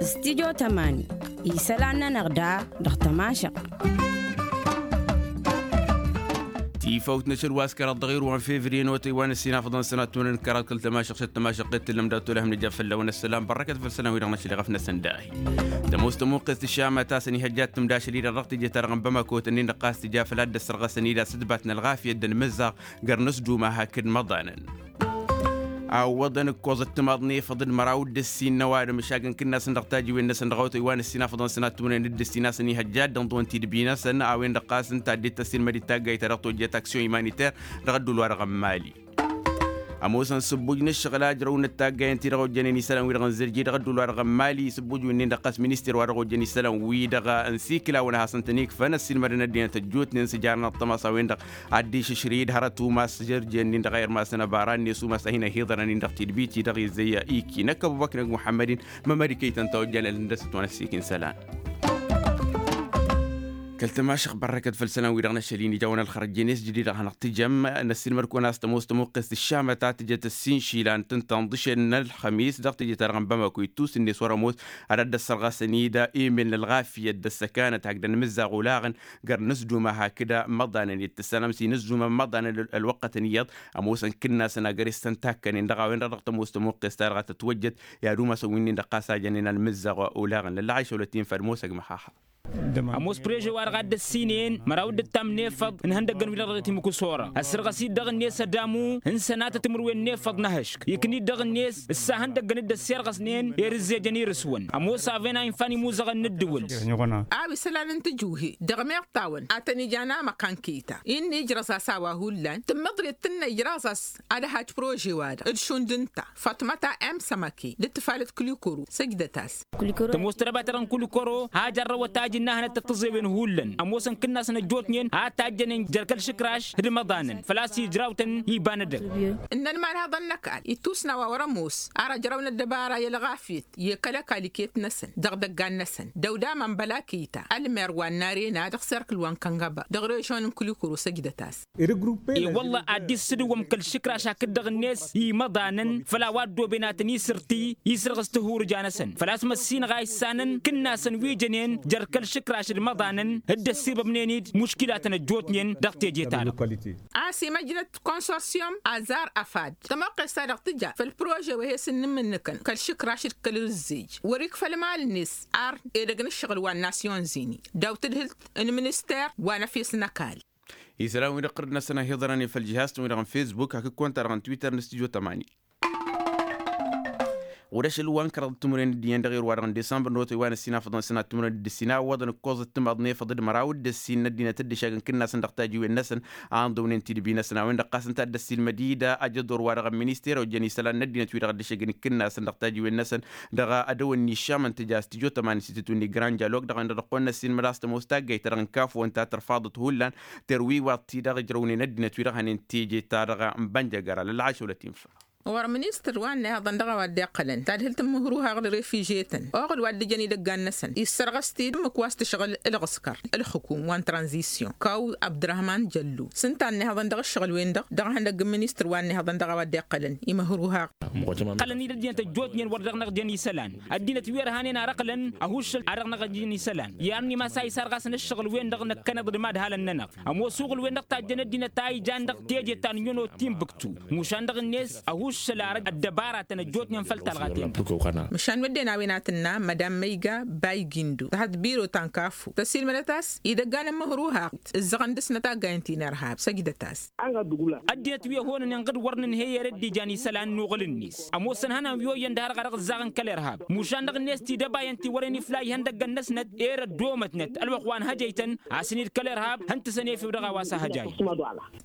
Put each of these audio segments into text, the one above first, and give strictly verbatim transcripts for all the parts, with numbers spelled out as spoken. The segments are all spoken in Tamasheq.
Studyo tămani isălan-nănăɣ da dăɣ-tămašăɣt. Tifawt n-ašăl wa s-kăraḍ dăɣ-irwan fevriye n-otăy wa n-ăssinafăḍăn sănat tunăn kăraḍ kăl-tămašăɣt šăt tămašăɣt t-tǝllăm dat-olăhăm nǝja fălla-wen ăssălam bărrăkăt făll-sălan-wi-dăɣ n-ašăl iɣăf-năsăn dahi. Tămoos tămuqqest ǝššamăt a-s ănihăjja ad-tǝmda ašăl-i-dăɣ dăɣ-teje-ta-dăɣ n-bamako tănnin-dăɣ ɣas tǝja făll-ad-dd-ăssărɣăsăn-dd a-s ǝtbat n-ălɣafyăt d-ănmǝzzaɣ găr-nǝsduma hakd măḍanăn. A ǝwwăḍăn ǝkkoẓăt timaḍ n-efăḍ d-măraw d-ǝssin n-ăwadǝm ǝššagăn kǝnnasăn dăɣ-tajiwen-năsăn dăɣ-awătăy wa n-ǝssin afăḍăn sănat timǝrwen d-ǝssin a-s ănihăjja ad-dd-ǝnḍǝwăn tidbi-năsăn a-wen-dăɣ ɣas ǝnta dd-tăssilmăd-dd taggayt-ta-dăɣ tojjăt aksyon imaniter dăɣ-ăddul-wa-dăɣ n-mali. Ămoosăn sǝbbuj n-ǝššăɣǝl a ǝjrăwnăt taggayen-ti-dăɣ ojjănen isălan-wi-dăɣ n-zărji dăɣ-ăddul-wa-dăɣ n-mali sǝbbuj wi-nin-dăɣ ɣas minister-wa-dăɣ ojjăn isălan-wi-dăɣ n-sikǝlawăn a hasăn-tăn-ikfăn ăssiilmădăn ăddinăt ăjjootnen s-ǝjarăn ăṭṭămas a-wen-dăɣ ad-dd-išǝšrǝy d-hărăt umas žărjen-nin-dăɣ a irmasăn ăbara-net umas a hin-ăhiḍărăn-in dăɣ-tidbit-i-dăɣ izzăy iki năkk ăbubăknăg muḥămmăd-in. Mămăd iket ǝnta ojjăn ălhǝndăsăt wa n-ăssiik n-isălan. Kăl-tămašăɣt bărrăkăt făll-isălan-wi-dăɣ n-ašăl-in ija a-wen ălxărăjjen-e s-jidǝy-dăɣ a hanăɣ-tǝjăm. Năssiilmăd-kăwăn a-s tămoos tămuqqest ǝššamăt a tǝjăt ăssin išilan tǝnta n-iḍǝšen n-ălxămis dăɣ-teje-ta-dăɣ n-bamako ittus-net wăr-ămoos. Ad-ădd ăssărɣasăn-dd emel n-ălɣafyăt d-ăssăkanăt hakd ănmǝzzaɣ olaɣăn găr-nǝsduma hakd măḍanăn-dd tǝssanăm s-inǝzzumăn măḍanăn ălwăqqătăn iyyăḍ. Ămoosăn kǝnnasăn agăres tăn-takkănen dăɣ-a-wen-dăɣ dăɣ-tămoos tămuqqest-ta-dăɣ a tătwăjjăt i-ad-umasăn wi-nin-dăɣ ɣas a jănen ălmǝzzaɣ olaɣăn lălla a išăwlăt-in făll-ămoosăg măxaxa. Ămoos prože-wa-dăɣ a dd-ăssinăyăn măraw dd-ǝttam n-efăḍ n-ihăndăggăn-wi-dăɣ dăɣ-timǝkǝsora ăssărɣăs-dd dăɣ-net ădamu n-sănatăt timǝrwen n-efăḍ n-ehăšk iknǝy-dd dăɣ-net ǝssa ihăndăggăn dd-ăssirɣăsnen i-ad-ǝzzejăn irǝswăn. Ămoos a-wen a infa n-imuzăɣăn n-ǝddǝwǝl. A-wa isălan n-tǝjuhi dăɣ-meɣ tawăn a tăn-ijan amăkan kăyy-ta innă ijrăẓ-as a-wa hullan tǝmmǝḍret tǝnnă ijrăẓ-as ad-ăhaj prože-wa-dăɣ d-šund ǝnta făṭmăt a m sămăke d-ǝttǝfalăt kǝlikoro săjdăt-as. Tămoos tărăba-ta-dăɣ n-kǝlikoro hajărrăwăt ajǝnna hanăt-tăt-tǝẓewăn hullan ămoosăn kǝnnasăn ăjjootnen a tajjănen jer-kăl-išǝkraš d-imăḍanăn făl-a-s ijrawtăn iba n-edăgg. Ǝnnăn imanhăḍăn n-ăkall ittusna wa wăr-ămoos ar ăjrăwăn ăddăbara i-ălɣafyăt i-kăl-ăkall iket-năsăn dăɣ-idăggan-năsăn dăw-damăn băla kăyy-ta ălmer wa n-arena dăɣ-serkǝl wa n-kăngăba dăɣ-režon n-kǝlikoro săjdăt-as. I-wălla ad-dd-issǝdǝwwăm kăl-išǝkraš hakd-dăɣ-net imăḍanăn făll-a-wa ăddooben ad-tăn-isǝrtǝy isǝrɣǝs tihurǝja-năsăn făl-a-s măssinăɣ a issanăn kǝnnasăn wi jănen jer-kăl-išǝkraš d-imăḍanăn dd-ăssirbămnen-dd muškilatăn ăjjootnen dăɣ-teje-ta-dăɣ. A-s imăjnăt konsorsyum azar afad tămoqqes-ta-dăɣ tǝja făll-prože wa he-s ǝnnǝmmǝnnǝkăn kăl-išǝkraš d-kăl-ǝzzej wăr-ikfăl imal-net ar edăgg n-ǝššăɣǝl wa n-nasyon zini daw-tǝdhǝlt n-minister wa n-efes n-ăkall. Isălan-wi-dăɣ ɣǝrǝd-năsăn a hi-iḍărăn i-făll-jihaz-tăn-wi-dăɣ n-fesbuk hakd konta-dăɣ n-twitter n-studyo tămani. Ɣur-ašăl wa n-kăraḍ timǝrwen d-iyyăn dăɣ-irwa-dăɣ n-disămbăr n-otăy wa n-ăssin afăḍăn sănat timǝrwen d-ǝssin a ǝwwăḍăn ǝkkoẓăt timaḍ n-efăḍ d-măraw d-ǝssin n-ăddinăt dd-ǝššagăn kǝnnasăn dăɣ-tajiwen-năsăn a ǝnḍǝwnen tidbi-năsăn a-wen-dăɣ ɣas ǝnta a dd-ăssiilmăd-dd ajăḍor-wa-dăɣ n-minister ojjăn isălan n-ăddinăt-wi-dăɣ dd-ăššăgăn kǝnnasăn dăɣ-tajiwen-năsăn dăɣ-adăwăn n-iššam ǝnta ja s-tijo tămani s-itǝtwǝnni grand jalog dăɣ-a-wen-dăɣ dăɣ-kăwăn-năssiilmăd a-s tămoos taggayt-ta-dăɣ n-kafo ǝnta tărfaḍăt hullan terwiwaḍt-i-dăɣ ǝjrăwnen ăddinăt-wi-dăɣ hănen teje-ta-dăɣ n-bănjăgăra lălla a išăwlăt-in făll. Ɣur-ministăr wa n-ehăḍăn dăɣ-a-wa dd-iqqălăn tadhǝlt n-imǝhruhaɣ d-refižetăn oɣǝl wa dd-ǝjăn idăggan-năsăn issărɣăs-t-dd ǝmmǝk wa s-tǝšɣǝl ălɣǝskăr ălxǝkum wa n-tranzisyon kaw abdărahman jăllu s-ǝnta a ǝnnihăḍăn dăɣ-ǝššăɣǝl-wen-dăɣ dăɣ-ihăndăgg n-ministăr wa n-ehăḍăn dăɣ-a-wa dd-iqqălăn imǝhruhaɣ. Ǝqqălăn-dd ăddinăt ăjjootnen wăr dăɣ-năɣ jăn isălan ăddinăt wi ărhanen ar ǝqqǝlăn ăhuššăl a dăɣ-năɣ jăn isălan i-arni ma s-a isarɣasăn ǝššăɣǝl-wen-dăɣ năkkăneḍ d-imadhalăn-nănăɣ. Ămoos uɣǝl-wen-dăɣ tajjăn ăddinăt a ijan dăɣ-teje ta n-iyyăn o timbǝktu mušan dăɣ-net ăhuššăl ar ăddăbaratăn ăjjootnen făll-talɣaten-dăɣ. Măšan wedden a-wen a tǝnna mădam măyga baygindo tăhăḍ biro ta n-kafu tăsilmădăt a-s idăggan n-imǝhruhaɣ ǝzzăɣăn dăɣ-snăt taggayăn ti n-irhab săjdăt-as. Ăddinăt wi ăhonănen ɣǝd wăr nǝnhăy ere dd-ijan isălan n-uɣǝl-net ămoosăn hănan wi oyyăn d-harăɣ-arăɣ ǝzzaɣăn kăl-irhab mušan dăɣ-net tidăbayăn ti wărăn ifla ihăndăggăn-năsnăt ere ăddoomătnăt ălwăqq wa n-hăjăytăn asăn-dd kăl-irhab hăn-tǝsăn efew dăɣ-a-wa s-ahăjayăn.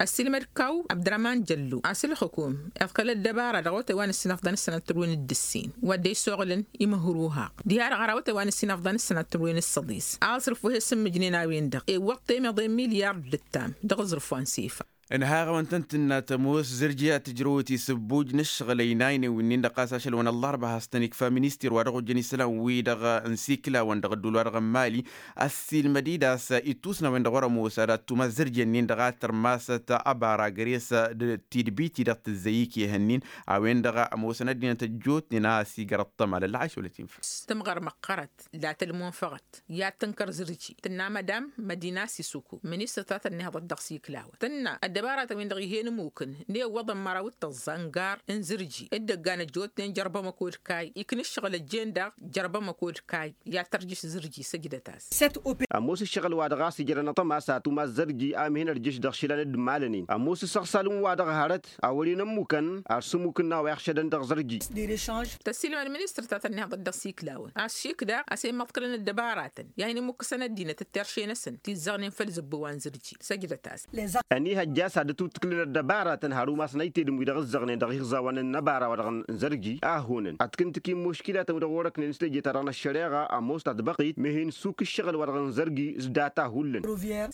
Ăssiilmăd-kaw abdărăman jăllu a-s ǝlxǝkum iḍkăl ăddăbara dăɣ-awătay wa n-ǝssin afḍăn s-sănat tǝrwen d-ǝssin wădden isoɣǝlăn imǝhruhaɣ diha-dăɣ ɣăr awătay wa n-ǝssin afḍăn s-sănat tǝrwen d-săḍis a ăṣrǝf wa he-sǝmmǝjnen a-wen-dăɣ iwwăḍ temeḍe n-milyard d-ǝttam dăɣ-aẓrǝf wa n-sifa. Ănhaɣ-awăn-tăn-tǝnna tămoos zǝrji ad-tǝjrăwăt isǝbbuj n-ǝššăɣǝl ăynaynen wi-nin-dăɣ ɣas ašăl-wăn ăllarba has-tăn-ikfa ministir wa dăɣ-ojjăn isălan-wi-dăɣ n-siklawăn dăɣ-ădduul wa dăɣ-n mali. Ăssiilmăd-dd a-s ittusna a-wen-dăɣ wăr-ămoos ad-ad-tumas zǝrji-ǝnnin-dăɣ a tărmasăt abara găre-s d-tidbit-i-dăɣ tǝzzăy ikyăh-ǝnnin a-wen-dăɣ ămoosăn ăddinăt ăjjootnen a ăsigărăt tămalăt lăɣaš wăla tinfăs. Tǝmɣăr măqqărăt la tălmunfăɣăt i-ad-tǝnkăr zǝrji tǝnna madam mădina sisuku ministăr ta tănnihăḍăt dăɣ-siklawăn tǝnna ăddăbaratăn-win-dăɣ ih'-e n-ămmukǝn n-e ǝwwăḍăn măraw d-tăẓẓa n-gar n-zǝrji dd-ăggan ăjjootnen jărbăm ăkod kayy ikna ǝššăɣǝl ăjjeen daɣ jărbăm ăkod kayy i-ad-tărjǝš zǝrji săjdăt-as. Ămoos ǝššăɣǝl wa dăɣ-a-s ǝjrănăt ămas ad-tumas zărji a ǝmhin ărjǝš dăɣ-išǝlan d-imalănen ămoos asăɣsal n-wa-dăɣ hărăt a wăren ămmukăn ar s-ămmuk ǝnna wa iɣšădăn dăɣ-zărji. Tăssiilmăd ministăr ta tănnihăḍăt dăɣ-siklawăn a-s šik daɣ a-s e-măḍkălăn ăddăbaratăn i-ad-hin-ămmukkăsăn ăddinăt d-terše-năsăn ti ǝzzăɣnen făll-zǝbbu wa n-zărji săjdăt-asăn. Ănihăjja a-s ad-dd-tuttǝklǝn ăddăbaratăn har umasăn ăytedǝm wi-dăɣ ǝzzăɣnen dăɣ-iɣẓawăn n-ăbara wa dăɣ-n zărji a ăhhunăn ad-t-kǝntǝk i-imuškilatăn wi-dăɣ wăr-ăknen s-teje-ta-dăɣ n-ăššăreɣa ămoos ta tbăqqit mihi n-suk ǝššăɣǝl wa dăɣ-n zărji s-data hullan.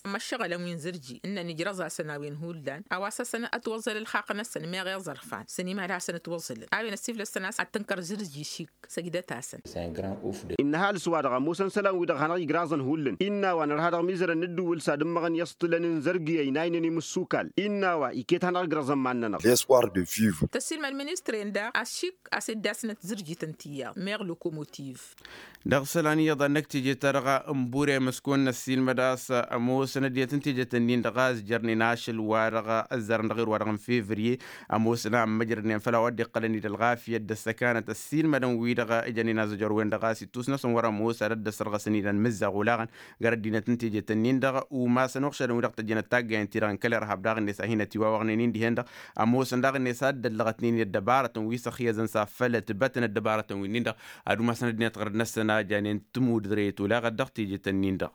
Ămăššăɣǝlăn wi n-zărji ǝnnăn ijrăẓ-asăn a-wen hullan a-wa s-hasăn-ătwăẓẓăl ǝlxaqq-năsăn meɣ iẓărfan s-ănimhăl hasăn-ătwăẓẓălăn a-wen ăssiflăssăn a-s ad-tǝnkăr zărji šik săjdăt-asăn. Innă ăhalǝs-wa-dăɣ ămoosăn isălan-wi-dăɣ hanăɣ-igraẓăn hullan innă a-wa nărha dăɣ-imizărăn n-ǝddǝwǝl s-ad-ǝmmăɣăn i-aṣṭǝlăn n-zărgi ăynaynen imǝssukal innă a-wa iket hanăɣ-igraẓăn iman-nănăɣ. Tăssiilmăd ministre-en daɣ a-s šik a-s dd-asnăt zǝrjităn tiyyăḍ meɣ lokomotiv. Dăɣ-isălan iyyăḍ ad-năkk teje-ta-dăɣ n-bure măskon n-ăssiilmăd a-s ămoosăn ăddinăt n-tejet-ǝnnin-dăɣ a ǝzjărnen ašăl-wa-dăɣ ǝzzărăn dăɣ-irwa-dăɣ n-fevriye. Ămoosăn a ǝmmăjrădnen făll-a-wa dd-iqqălăn-dd ălɣafyăt d-ăssăkanăt ăssiilmădăn-wi-dăɣ ijănen azǝjăr-wen-dăɣ a-s ittus-năsăn wăr-ămoos ad-ăddăsărɣăsăn-dd ănmǝzzaɣ olaɣăn. Găr ăddinăt n-tejet-ǝnnin-dăɣ umasăn uɣšădăn-wi-dăɣ tăjjănăt taggayen-ti-dăɣ n-kăl-irhab daɣ-net a hin-ătiwawăɣnen-in dihen-dăɣ. Ămoosăn daɣ-net a dd-ăllăɣătnen-in ăddăbarătăn wi s-ăxyăzăn s-afăl ătbătăn ăddăbarătăn-winnin-dăɣ ad-umasăn ăddinăt ɣărăt-năsăn a janen tǝmudre tolaɣăt dăɣ-tejet-ǝnnin-dăɣ.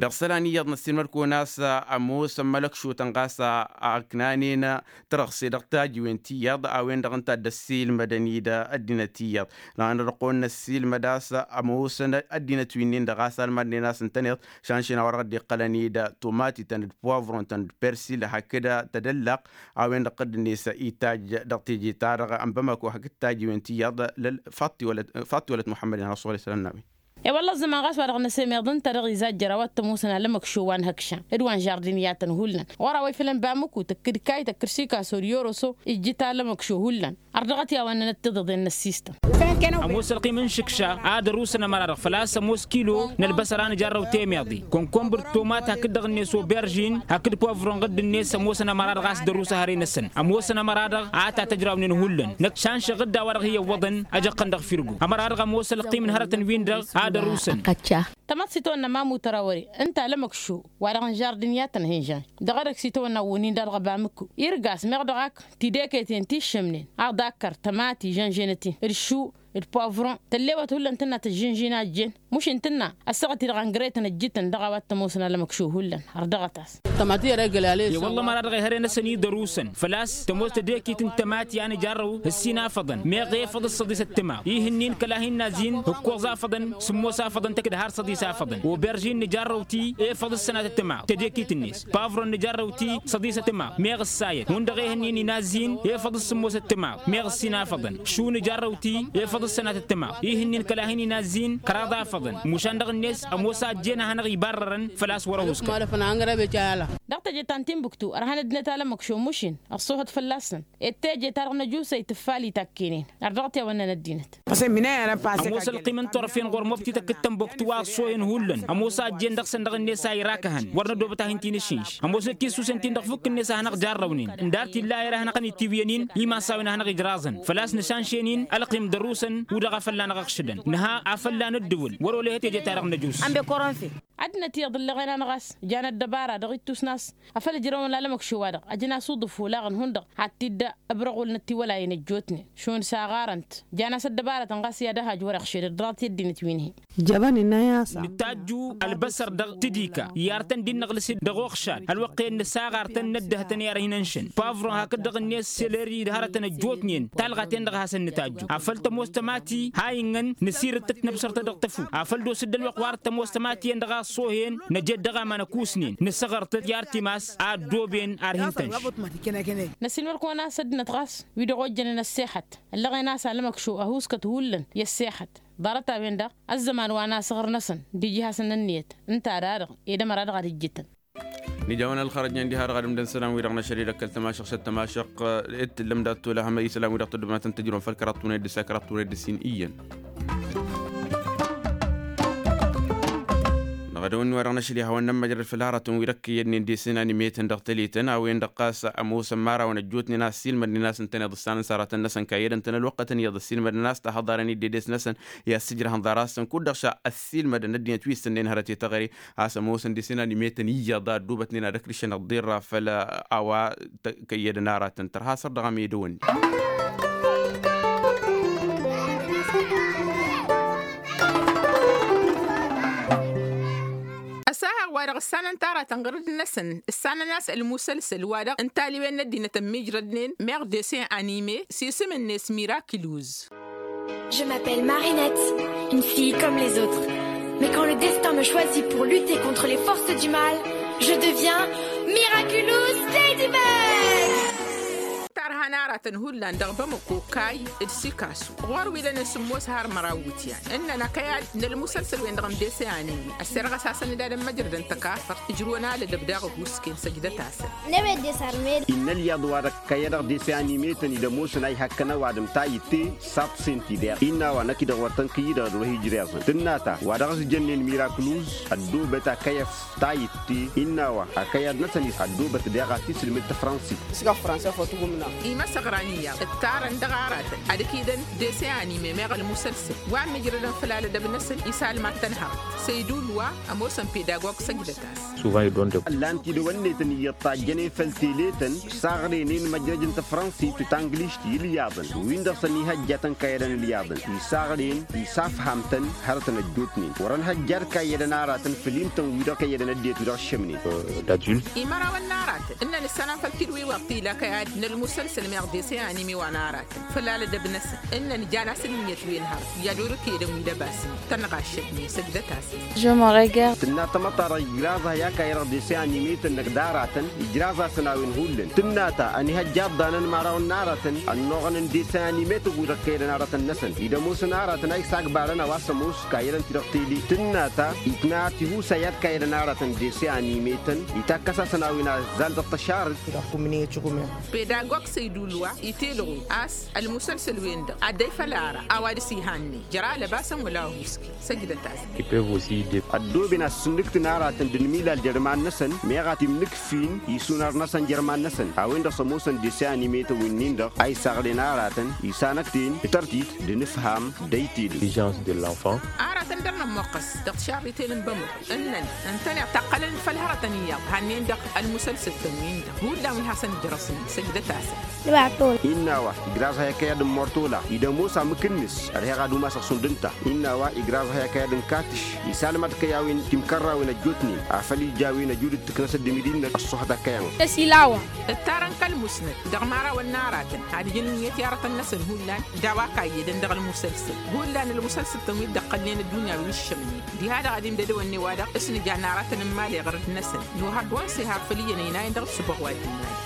Dăɣ-isălan iyyăḍ năssiilmăd-kăwăn a-s ămoosăn mălăkšotăn ɣas a ăknanen tărăɣse dăɣ-tajiwen ti iyyăḍ a-wen-dăɣ ǝnta a dd-ăssiilmădăn-dd ăddinăt iyyăḍ. Dăɣ-anădăɣ-kăwăn năssiilmăd a-s ămoosăn ăddinăt wi-nin-dăɣ a-s almadnen a-s ǝntăneḍ šanšen a-wa dăɣ-dd-iqqălăn-dd tomatităn d-poavron-tăn d-persil hakd tadăllaqt a-wen-dăɣ dd-net itaj dăɣ-teje-ta-dăɣ n-bamako hakd tajiwen ti iyyăḍ. Lăl-faṭṭi wălăt faṭṭi wălăt muḥămmăd-in har ăṣṣuɣăl isălan n-a-wen. E-wălla ăẓẓăman ɣas wa dăɣ-năsemeḍ ǝnta dăɣ-izajjăr a-wa t-ămoosăn alămăkšo wa n-hăkša d-wa n-žardiniyatăn hullan ɣur-a-wa ifălăn bamuku tǝkkǝd kayy tăkkǝr sikaso d-yoroso ijjǝt alămăkšo hullan. Ărdăɣăt i-a-wa ǝnnănăt tiḍeḍen n-ăssistăm. Ămoos ălqim n-išǝkša a dd-ărusăn ămăra-dăɣ făl-a-s ămoos kilo n-ălbăsăr a nǝjarrăw temeḍe kănkombăr d-tomat hakd dăɣ-net oberžin hakd povron ɣǝdd-net ămoosăn ămăra-dăɣ a-s dd-ărus ehăre-năsăn. Ămoosăn ămăra-dăɣ a tatăjrawnen hullan năkk šanšăɣ dd-a-wa-dăɣ hi-iwwăḍăn ăjăqqăn dăɣ-firgo ămăra-dăɣ ămoos ălqim n-hărătăn-win-dăɣ a dd-ărusăn. Tămaḍt s-itawănna mamut ărawăre ǝnta alămăkšo wa-dăɣ n-žardin i-ad-tăn-henžăy dăɣ-edăgg s-itawănna wănin-dăɣ dăɣ-abamǝkku irgas meɣ dăɣ-ak tideket-en ti ǝššǝmnen aḍakkăr tămati žănženăt-in d-šu d-povron tăllewăt hullan tǝnna tăžžǝnžin a ăjjeen. Mušin tǝnna ăssaɣăt-i-dăɣ ăngretăn ăjjǝtăn dăɣ-a-wa t-ămoosăn alămăkšo hullan. Ărdăɣăt-as. I-wălla ămăra-dăɣ ehăre-năsăn-i dd-ărusăn făl-a-s tămoos tedekit n-tămati a nǝjarrăw ǝssin afăḍăn meɣ efăḍ s-săḍisăt timaḍ ih'-ǝnnin kăla hin-nazin ǝkkoẓ afăḍăn sǝmmos afăḍăn tăkk-dd har săḍis afăḍăn oberžin nǝjarrăw-t-i efăḍ s-sănatăt timaḍ tedekit-net pavron nǝjarrăw-t-i săḍisăt timaḍ meɣ ǝssayăt hundăɣ ih'-ǝnnin inazin efăḍ s-sǝmmosăt timaḍ meɣ ǝssin afăḍăn šu nǝjarrăw-t-i efăḍ s-sănatăt timaḍ ih'-ǝnnin kăla hin-inazin kăraḍ afăḍăn mušan dăɣ-net ămoos a ăjjeen a hanăɣ-ibarrărăn făl-a-s wăr-ăhuskăn. Dăɣ-teje ta n-tinbuktu ărhăn ăddinăt alămăkšo mušin ăṣṣuhăt fălla-săn ed teje-ta-dăɣ n-ăjusăy tǝffal itakken-in. Ărdăɣăt i-a-wa ǝnnăn ăddinăt. Ămoos ălqim n-turfen ɣur-mobti tăkk-dd tănbuktu a ăṣṣoyăn hullan ămoos a ăjjeen dăɣ-săn dăɣ-net a irakăhăn wăr nădobăt a hin-t-inǝšinš ămoos ăkisusen-t-in dăɣ-fukk-net a hanăɣ-jarrăwnen ǝndar t-illa a ere a hanăɣ-ănitiwǝyăn-in imasawen a hanăɣ-ijraẓăn făl-a-s nǝšanšen-in ălqim d-ărusăn. U-dăɣ a fălla-năɣ ăɣšǝdăn nǝha a fălla-năddǝwǝl wăr-olăyăt teje-ta-dăɣ n-ăjus. Ăddinăt iyyăḍ ǝlleɣen-anăɣ a-s jan ăddăbara dăɣ-ittusna a-s afăl ǝjrăwăn lalămăkšo-wa-dăɣ ăjăn-as uḍǝf olaɣăn hundăɣ had-t-dd-ăbrăɣul n-ătiwălayen ăjjootnen šund saɣarăn-t jan-as ăddăbarătăn ɣas i-ad-ăhaj wăr-iɣšed ăddăɣăt i-ăddinăt wi n-hi. Ǝjjăbăn innă i-a-s nǝtajju ălbăsăr dăɣ-tǝdika i-artăn-dd-innăɣlǝs-dd dăɣ-uɣšad ălwăqq-en nǝsaɣartăn n-ăddăhătăn i-ad-hin-ănšăn pavron hakd dăɣ-net seleri d-hărătăn ăjjootnen talɣa-ten-dăɣ a hasăn-nǝtajju afăl tămoos. tămati ha innăn nǝsirǝttăt năbsăr-tăt dăɣ-tăfu afăl d-osǝd d-ălwăqq wa dăɣ-tămoos tămati-en dăɣ-a ăṣṣohen năjed dăɣ-aman ăkusnen nǝsăɣăr-tăt i-artimas a ăddooben ar-hin-tănš. Năsiilmăd-kăwăn-as ăddinăt ɣas wi-dăɣ ojjănen ăssexăt ǝllăɣen a-s alămăkšo ăhuuskăt hullan i-ăssexăt. Ḍarăt-a-wen-dăɣ ăzzăman wa n-asăɣrăn-năsăn d-iji hasăn-năn ǝnniyăt ǝnta-dăɣ edămăra dăɣ-ad-ǝjjǝtăn. Nǝja a-wen ălxărăjnen diha-dăɣ ad-ǝmdăn isălan-wi-dăɣ n-ašăl-i d-ăkall tămašăɣšăt tămašăɣt. Dd-tǝllăm dat-tolăhăm isălan-wi-dăɣ tăddobnatăn tǝjrǝwăn făll-kăraḍ tunăyăt dăɣ-s a-kăraḍ tunăyăt dăɣ-s iyyăn. Dăɣ-edăwănni wa dăɣ-năšli hawăn-nămmăjrăd făll-hărătăn wi-dăɣ kăyyădnen desen animetăn dăɣ-tăletăn a-wen-dăɣ ɣas ămoosăn imărawăn ăjjootnen a ăssiilmădnen a-s ǝntăneḍ ǝssanăn s-aratăn-năsăn kayyădăn-tăn ălwăqqătăn iyyăḍ ăssiilmădnen a-s tahăḍarăn-dd edes-năsăn i-assǝjrăhăn ḍarasăn kud-dăɣ šadd ăssiilmădăn ăddinăt wi s-tănnen hărăt i-taɣăre a-s ămoosăn desen animetăn iyyăḍ a ăddoobătnen ad-ăkrǝšăn ăḍḍirra făll-a-wa kăyyădăn aratăn tărha săr dăɣ-amedăwănni. Ăsahăɣ wa dăɣ-ǝssanăn taratăn ɣǝrǝd-năsăn ǝssanăn a-s ălmusălsăl wa dăɣ-ǝntaliwen n-ăddinăt ămmiijrădnen meɣ desen anime s-isǝm-net mirakiluz. Je m'appelle Marinette, une fille comme les autres. Mais quand le destin me choisit pour lutter contre les forces du mal, je deviens Miraculous Ladybug. Tarhan aratăn hullan dăɣ-bamăko kayy d-sikasu ɣur-wi lănen sǝmmos har măraw wǝtyan ǝnnăn akăyad n-ălmusălsăl-wen-dăɣ n-dese anime ăssirɣăs-asăn d-ad-ămmăjrădăn tăkafărt ǝjrǝwăn alădăb daɣ ăhuusken săjdăt-asăn. Năwed desarmed. Innă ălyaḍ wa dăɣ-kăyădăɣ dese anime-tăn-dd ămoosăn a ihakkăn ăwadǝm tayǝtte. Saḍsen-t-dd-eɣ innă a-wa năkk-i-dăɣ wăr tăn-kăyy-dăɣ d-wa hi-ǝjreẓăn tǝnna ta wa dăɣ-s jănnen mirakǝluz ăddoobăt akăyăf tayǝtte innă a-wa akăyăd-năsăn-is ăddoobăt daɣ a tisǝlmǝd tafrănsit. Isga fransa fătugǝmna. Imăsăɣran iyyăḍ ǝttarăn dăɣ-aratăn ad-ǝkidăn dese anime meɣ ălmusălsăl wa ămmijrădăn făll-alădăb-năsăn isalmad-tăn hărăt săydul wa ămoosăn pedagog săjdăt-as. Ăllan tidăwănnetăn iyyăḍ tajjănen făll-teletăn isaɣrăynen măjrăj n-tafrănsit d-tanglišt i-ǝlyaḍăn wi n-dăɣ-săn ihăjjatăn kayyădăn ǝlyaḍăn isaɣrăynen isafham-tăn hărătăn ăjjootnen wăr-ănhăjjad kayyădăn aratăn făll-imtăn-wi-dăɣ kayyădăn ăddinăt wi dăɣ-ǝššămnen. Imărawăn n-aratăn ǝnnăn ǝssanăn făll-tidǝw iwăḍ t-ila kăyad n-ălmusălsăl meɣ dese anime wa n-aratăn făll-alădăb-năsăn ǝnnăn jan asǝnǝmyăt wi n-hărăt i-ad-orǝk edăn wi d-ăbasăn tănɣaššătnen săjdăt-asăn. Tǝnna tamăḍt-ta-dăɣ ijraẓ-ahi akayăd dăɣ-dese anime-tăn-năk d-aratăn ijraẓ-asăn a-wen hullan tǝnna ta ănihăjja ăḍḍanăn imărawăn n-aratăn ănnuɣăn n-dese anime-tăn wi-dăɣ kăyădăn aratăn-năsăn-dd ămoosăn aratăn a isagbarăn a-wa s-ămoos kayyădăn-t-dăɣ tele tǝnna ta itna tihusa i-ad-kayyădăn aratăn dese anime-tăn itakkăs-asăn a-wen aẓẓal dăɣ-tăšarǝt. Pedagog săydul wa itelɣu a-s ălmusălsăl-wen-dăɣ ad-dd-ăy făll-ara a-wa dăr-s ihannen jer-alăbasăn wăla ăhuusken săjdăt-asăn. Ăddooben ad-sǝnnǝktǝn aratăn d-ănmilal jer-iman-năsăn meɣ ad-t-imnǝkfin isunăr-năsăn jer-iman-năsăn a-wen-dăɣ s-ămoosăn dese anime-tăn wi-nin-dăɣ a isăɣrăyăn aratăn isanăkten d-tărtit d-inǝfham d-aytedǝw. Aratăn dăr-nămmoqqăs dăɣ-tišarriten n-bămăko ǝnnăn ǝntăneḍ taqqălăn-dd făll-hărătăn iyyăḍ hannen dăɣ-ălmusălsăl-tăn-win-dăɣ hullan wi hasăn-ǝjrăsnen săjdăt-asăn. Innă a-wa igraẓ-ahi ăkăyăd n-mortola-i d-ămoos amǝk-net ărheɣ ad-umasăɣ šund ǝnta. Innă a-wa igraẓ-ahi ăkăyăd n-katǝš isalmad kăy-a-wen timkărrawen ăjjootnen afăl ija a-wen ăjud d-tǝknăs ăddǝmǝd-i-năk ăṣṣuhăt ăkkăyămăɣ. Ăsilawa. Ǝttarăn kăl-musnăt dăɣ-imărawăn n-aratăn ad-ǝjǝn ǝnniyăt i-aratăn-năsăn hullan d-a-wa kayyădăn dăɣ-ălmusălsăl hullan ălmusălsăl-tăn wi dd-ăqqălnen ăddunya wi ǝššămnen diha-dăɣ ad-imdădăwănne wa-dăɣ s-nǝja n-aratăn n-imali ɣărăd-năsăn. Nuhăr d-wa n-sihar făll-iyyăn ăynayăn dăɣ-ǝssǝboɣ wa dd-imali.